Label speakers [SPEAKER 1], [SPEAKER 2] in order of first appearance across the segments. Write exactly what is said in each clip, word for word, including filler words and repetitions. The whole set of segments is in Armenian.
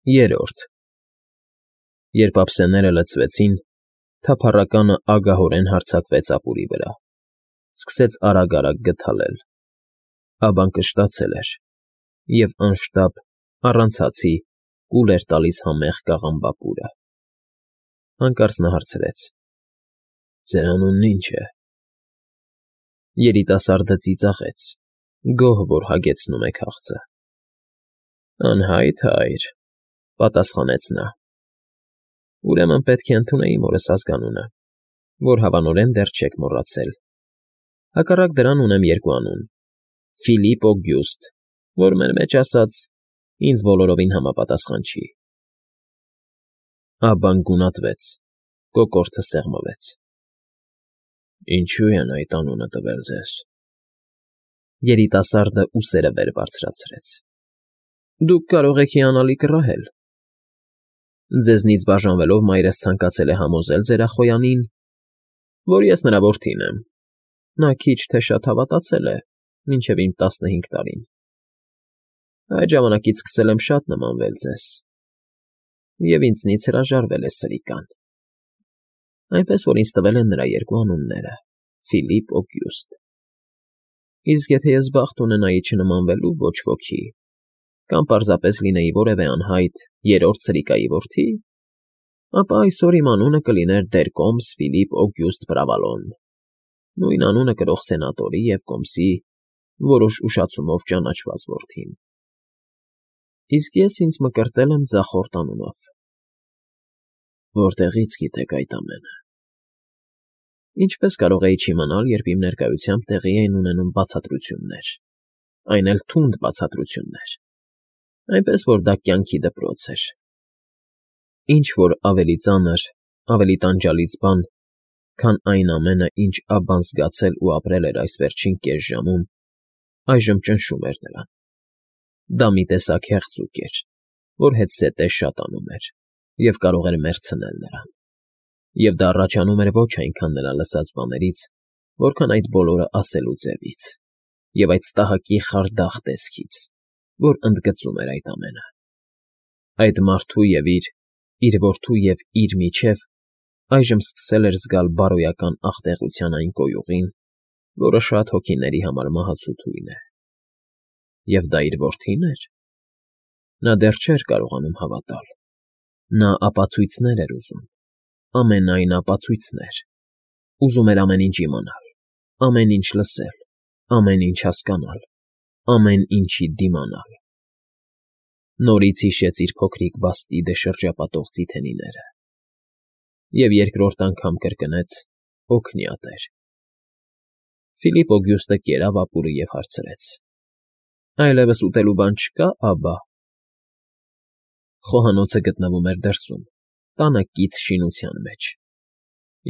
[SPEAKER 1] Երրորդ Երբ ափսեները լցվեցին, թափառականը ագահորեն հարձակվեց ապուրի վրա, սկսեց արագ֊արագ գթալել, աբան կշտացել էր և անշտապ, առանց հացի կուլ էր տալիս համեղ կաղամբապուրը։ Հանկարծ նա հարցրեց. ֊ Ձեր անունն ի՞նչ է։ Երիտասարդը ծիծաղեց, գոհ որ հագեցնում է քաղցը։ ֊ Անհայտ, հայր,֊ պատասխանեց նա։ ֊ Ուրեմն պետք է ընդունեի մորս ազգանունը, որ հավանորեն դեռ չեք մոռացել. հակառակ դրան ունեմ երկու անուն՝ Ֆիլիպ Օգյուստ, որ մեր մեջ ասած ինձ բոլորովին համապատասխան չի։ Աբբան գունատվեց, կոկորդը սեղմվեց։ ֊ Ինչո՞ւ են այդ անունը տվել ձեզ։ Երիտասարդը ուսերը վեր բարձրացրեց։ ֊ Դուք կարող եք հիանալի կռահել։ Ձեզնից բաժանվելով մայրս ցանկացել է համոզել ձեր ախոյանին, որ ես նրա որդին եմ. նա քիչ թե շատ հավատացել է մինչև իմ տասնհինգ տարին։ Այդ ժամանակից սկսել եմ շատ նմանվել ձեզ, և ինձնից հրաժարվել է սրիկան, այնպես որ ինձ տվել են նրա երկու անունները՝ Ֆիլիպ Օգյուստ։ Իսկ եթե ես բախտ ունենայի չնմանվելու ոչ ոքի, կամ պարզապես լինեի որևէ անհայտ երրորդ սրիկայի որդի, ապա այսօր իմ անունը կլիներ դեր կոմս Ֆիլիպ Օգյուստ Պրավալոն, նույն անունը կրող սենատորի և կոմսի որոշ ուշացումով ճանաչված որդին։ Իսկ ես ինձ մկրտել եմ ձախորդ անունով։ Որտեղի՞ց գիտեք այդ ամենը։ Ինչպես կարող էի չիմանալ, երբ իմ ներկայությամբ տեղի էին ունենում բացատրություններ, այն էլ թունդ բացատրություններ, այնպես որ դա կյանքի դպրոց էր։ Ինչ֊որ ավելի ծանր, ավելի տանջալից բան, քան այն ամենը, ինչ Աբբան զգացել ու ապրել էր այս վերջին կես ժամում, այժմ ճնշում էր նրան։ Դա մի տեսակ հեղձուկ էր, որ հետզհետե շատանում էր և կարող էր մեռցնել նրան։ Եվ դա առաջանում էր ոչ այնքան նրա լսած բաներից, որքան այդ բոլորը ասելու ձևից և այդ տհաճի խարդախ տեսքից, որ ընդգծում էր այդ ամենը։ Այդ մարդու և իր, իր որդու և իր միջև այժմ սկսել էր զգալ բարոյական աղտեղության այն կոյուղին, որը շատ հոգիների համար մահացու թույն է։ Եվ դա իր որդի՞ն էր։ Նա դեռ չէր կարողանում հավատալ։ Նա ապացույցներ էր ուզում, ամենայն ապացույցներ, ուզում էր ամեն ինչ իմանալ, ամեն ինչ լսել, ամեն ինչ հասկանալ, ամեն ինչի դիմանալ։ Նորից հիշեց իր փոքրիկ բաստիդը շրջապատող ծիթենիները։ Եվ երկրորդ անգամ կրկնեց. օգնյատ էր։ Ֆիլիպ Օգյուստը կերավ ապուրը և հարցրեց. Այլևս ուտելու բան չկա, աբա։ Խոհանոցը գտնվում էր դրսում, տանը կից շինության մեջ,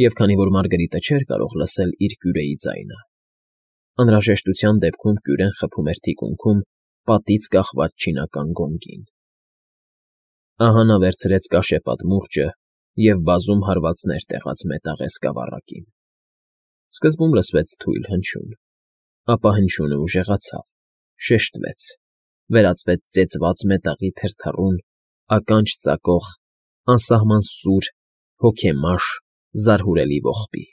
[SPEAKER 1] և քանի որ Մարգարիտը չէր կարող լսել իր կյուրեի ձայնը, անհրաժեշտության դեպքում կյուրեն խփում էր թիկունքում պատից կախված չինական գոնգին։ Ահա նա վերցրեց կաշեպատ մուրճը և բազում հարվածներ տեղաց մետաղե սկավառակին։ Սկզբում լսվեց թույլ հնչյուն, ապա հնչյունը ուժեղացավ, շեշտվեց, վերածվեց ծեծված մետաղի թրթռուն, ականջ ծակող, անսահման սուր, հոգեմաշ, զարհուրելի ողբի։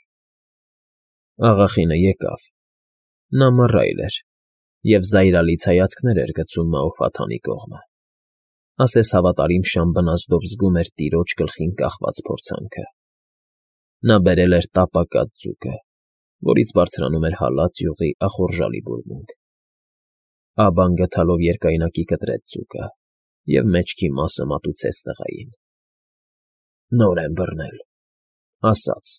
[SPEAKER 1] Աղախինը եկավ։ Նա մռայլ էր և զայրալից հայացքներ էր գցում Մաոֆաթանի կողմը, ասես հավատարիմ շան բնազդով զգում էր տիրոջ գլխին կախված փորձանքը։ Նա բերել էր տապակած ձուկը, որից բարձրանում էր հալած յուղի ախորժալի բուրմունք։ Աբբան գդալով երկայնակի կտրեց ձուկը և մեջքի մասը մատուցեց տղային։ Նոր եմ բռնել, ասաց,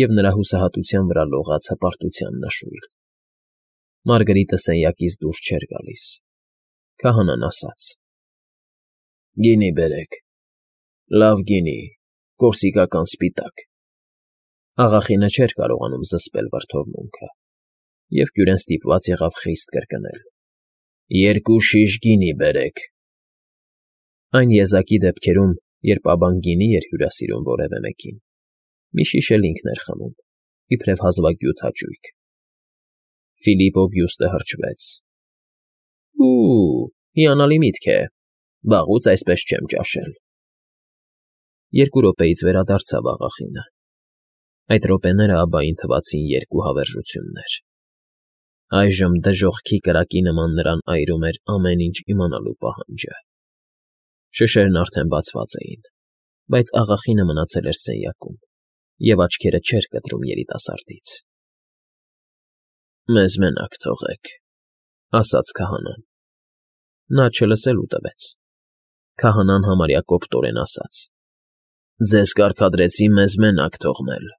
[SPEAKER 1] և նրա հուսահատության վրա լողաց հպարտության նշույլ։ Մարգարիտը սենյակից դուրս չէր գալիս։ Քահանան ասաց. Գինի բերեք, լավ գինի, կորսիկական սպիտակ։ Աղախինը չէր կարողանում զսպել վրդովմունքը և կյուրեն ստիպված եղավ խիստ կրկնել. Երկու շիշ գինի բերեք։ Այն եզակի դեպքերում, երբ Աբբան գինի էր հյուրասիրում որևէ մեկին, մի շիշ էլ ինքն էր խմում, իբրև հազվագյուտ հաճույք։ Ֆիլիպ Օգյուստը հրճվեց։ Ու, հիանալի միտք է։ Վաղուց այսպես չեմ ճաշել։ Երկու րոպեից վերադարձավ աղախինը։ Այդ րոպեները Աբբային թվացին երկու հավերժություններ։ Այժմ դժոխքի կրակի նման նրան այրում էր ամեն ինչ իմանալու պահանջը։ Շշերն արդեն բացված էին, բայց աղախինը մնացել էր սենյակում և աչքերը չէր կտրում երիտասարդից։ «Մեզ մենակ թողեք,֊ ասաց քահանան։ Նա չլսելու տվեց։ Քահանան համարյա կոպտորեն ասաց. «Ձեզ կարգադրեցի մեզ մենակ թողնել»։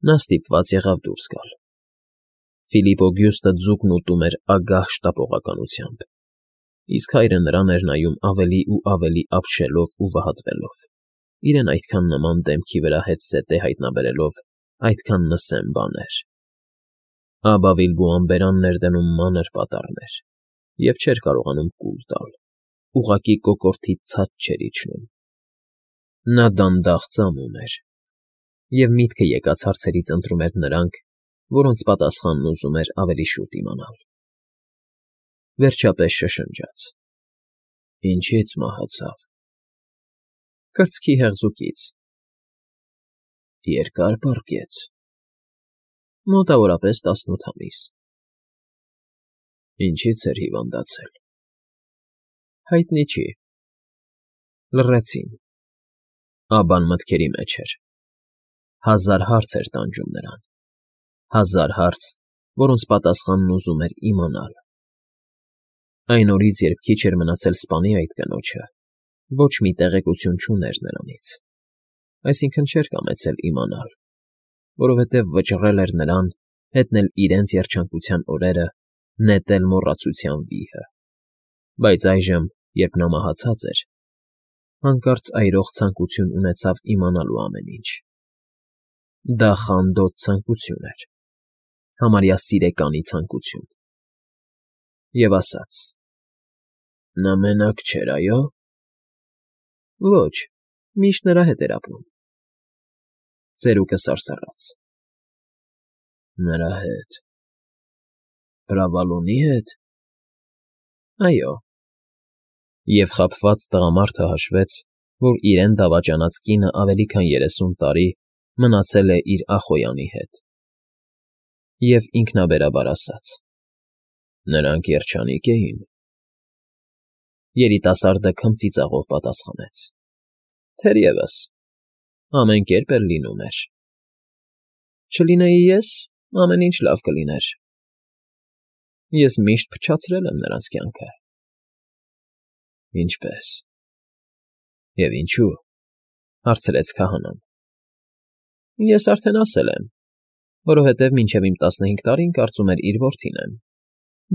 [SPEAKER 1] Նա ստիպված եղավ դուրս գալ։ Ֆիլիպ Օգյուստը ձուկն ուտում էր ագահ շտապողականությամբ, իսկ հայրը նրան էր նայում ավելի ու ավելի ապշելով ու վհատվելով, իրեն այդքան նման դեմքի վրա հետզհետե հայտնաբերելով այդքան նսեմ բաներ։ Աբբա Վիլբուան բերանն էր դնում մանր պատառներ և չէր կարողանում կուլ տալ, ուղղակի կոկորդից ցած չէր իջնում։ Նա դանդաղ ծամում էր, և միտքը եկած հարցերից ընտրում էր նրանք, որոնց պատասխանն ուզում էր ավելի շուտ իմանալ։ Վերջապես շշնջաց. «Ինչի՞ց մահացավ»։ Կրծքի հեղձուկից։ Երկա՞ր պառկեց։ Մոտավորապես տասնութ ամիս։ Ինչի՞ց էր հիվանդացել։ Հայտնի չի։ Լռեցին։ Աբբան մտքերի մեջ էր։ Հազար հարց էր տանջում նրան, հազար հարց, որոնց պատասխանն ուզում էր իմանալ։ Այն օրից, երբ քիչ էր մնացել սպանի այդ կնոջը, ոչ մի տեղեկություն չուներ նրանից, այսինքն չէր կամեցել իմանալ, որովհետև վճռել էր նրան հետնել իրենց երջանկության օրերը, նետել մոռացության վիհը։ Բայց այժմ, երբ նա մահացած էր, հանկարծ այրող ցանկություն ունեցավ իմանալու ամեն ինչ։ Դա խանդոտ ցանկություն էր, համարյա սիրեկանի ցանկություն։ Եվ ասաց. «Նա մենակ չէր, այո՞»։ Ոչ, միշտ նրա հետ էր ապրում։ Ծերուկը սարսռաց. «Նրա հետ… Ֆրավալոնի հետ»։ Այո։ Եվ խաբված տղամարդը հաշվեց, որ իրեն դավաճանած կինը ավելի քան երեսուն տարի մնացել է իր ախոյանի հետ։ Եվ ինքնաբերաբար ասաց. «Նրանք երջանիկ էին»։ Երիտասարդը քմծիծաղով պատասխանեց. «Թերևս, ամեն կերպ էլ լինում էր։ Չլինեի ես, ամեն ինչ լավ կլիներ։ Ես միշտ փչացրել եմ նրանց կյանքը»։ Ինչպե՞ս։ Եվ ինչու՞։ Հարցրեց քահանան։ Ես արդեն ասել եմ, որովհետև մինչև իմ տասնհինգ տարին կարծում էր իր որդին եմ,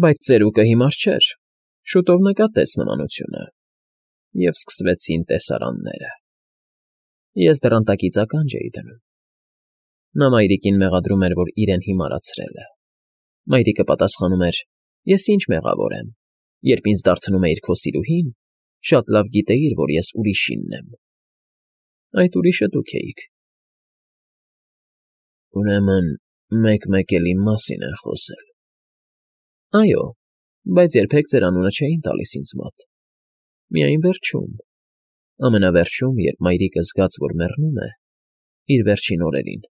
[SPEAKER 1] բայց ծերուկը հիմար չէր, շուտով նկատեց նմանությունը, և սկսվեցին տեսարանները։ Ես դռնտակից ականջ էի դնում։ Նա մայրիկին մեղադրում էր, որ իրեն հիմարացրել է։ Մայրիկը պատասխանում էր. «Ես ինչ մեղավոր եմ, երբ ինձ դարձնում էիր քո սիրուհին, շատ լավ գիտեիր, որ ես ուրիշինն եմ։ Այդ ուրիշը դուք էիք»։ Ուրեմն մեկ֊մեկ էլ իմ մասին են խոսել։ Այո, բայց երբեք ձեր անունը չէին տալիս ինձ մոտ։ Միայն վերջում, ամենավերջում, երբ մայրիկը զգաց, որ մեռնում է, իր վերջին օրերին,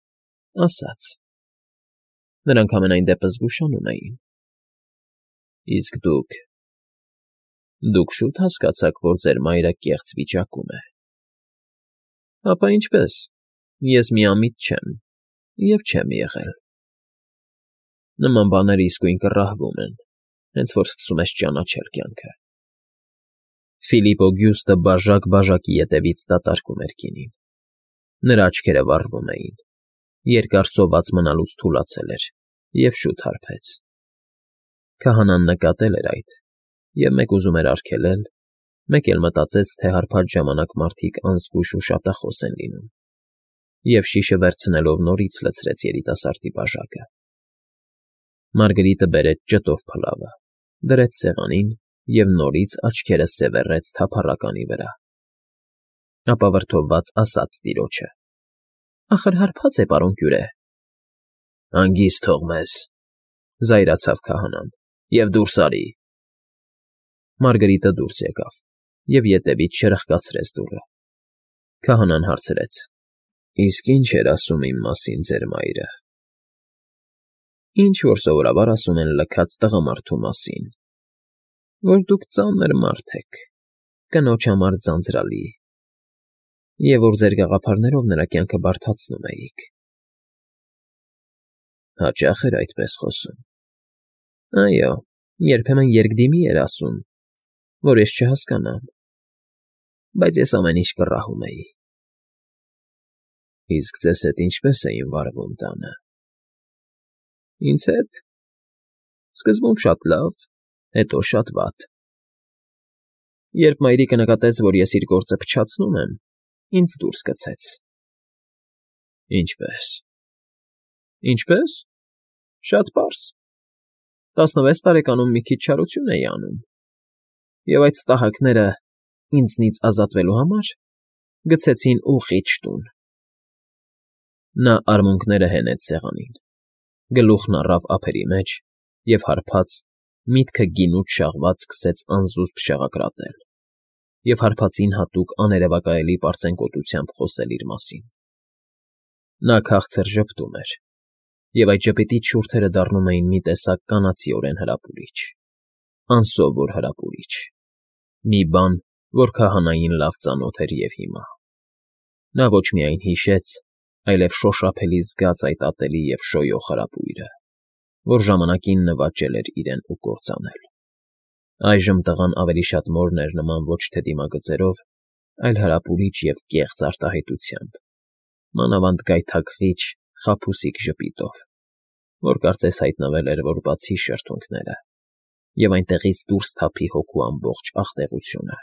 [SPEAKER 1] ասաց. Նրանք համենայն դեպս զգուշանում էին։ Իսկ դուք… Դուք շուտ հասկացաք, որ ձեր մայրը կեղծ վիճակում է։ Ապա ինչպես, ես միամիտ չեմ և չեմ եղել։ Նման բաները իսկույն կռահվում են, հենց որ սկսում ես ճանաչել կյանքը։ Ֆիլիպ Օգյուստը բաժակ֊բաժակի ետևից դատարկում էր կինին։ Նրա աչքերը վառվում էին, երկար սոված մնալուց թուլացել էր և շուտ հարբեց։ Քահանան նկատել էր այդ և մեկ ուզում էր արգելել, մեկ էլ մտածեց, թե հարբած ժամանակ մարդիկ անզգույշ ու շատախոս են լինում, և շիշը վերցնելով նորից լցրեց երիտասարդի բաժակը։ Մարգրիտը բերեց ճտով փլավը, դրեց սեղանին և նորից աչքերը սևեռեց թափառականի վրա։ Ապա վրդովված ասաց տիրոջը. Ախր հարբած է, պարոն կյուրե։ Հանգիստ թող մեզ, զայրացավ քահանան, և դուրս արի։ Մարգրիտը դուրս եկավ։ և ետևից չրխկացրեց դուռը։ Քահանան հարցրեց. Իսկ ի՞նչ էր ասում իմ մասին ձեր մայրը։ Ինչ որ սովորաբար ասում են լքած տղամարդու մասին, որ դուք ծանր մարդ եք, կնոջ համար ձանձրալի, և որ ձեր գաղափարներով նրա կյանքը բարդացնում էիք։ Հաճա՞խ էր այդպես խոսում։ Այո, երբեմն երկդիմի էր ասում, որ ես չհասկանամ, բայց ես ամեն ինչ կռահում էի։ Իսկ ձեզ հետ ինչպե՞ս էին վարվում տանը։ Ինձ հետ… Սկզբում շատ լավ, հետո շատ վատ։ Երբ մայրիկը նկատեց, որ ես իր գործը փչացնում եմ, ինձ դուրս գցեց։ Ինչպե՞ս։ Ինչպե՞ս… Շատ պարզ… Տասնվեց տարեկանում մի քիչ չարություն էի անում, և այդ ստահակները, ինձնից ազատվելու համար, գցեցին ուղղիչ տուն։ Նա արմունկները հենեց սեղանին, գլուխն առավ ափերի մեջ և հարբած, միտքը գինուց շաղված սկսեց անզուսպ շաղակրատել և հարբածին հատուկ աներևակայելի պարծենկոտությամբ խոսել իր մասին։ Նա քաղցր ժպտում էր, և այդ ժպիտի շուրթերը դառնում էին մի տեսակ կանացիորեն հրապուրիչ, անսովոր հրապուրիչ, մի բան, որ քահանային լավ ծանոթ էր և հիմա։ Նա ոչ միայն հիշեց, այլև շոշափելի զգաց այդ ատելի և շոյող հրապույրը, որ ժամանակին նվաճել էր իրեն ու կործանել։ Այժմ տղան ավելի շատ մորն էր նման ոչ թե դիմագծերով, այլ հրապուրիչ և կեղծ արտահայտությամբ, մանավանդ գայթակղիչ, խաբուսիկ ժպիտով, որ կարծես հայտնվել էր, որ բացի շրթունքները, և այնտեղից դուրս թափի հոգու ամբողջ աղտեղությունը։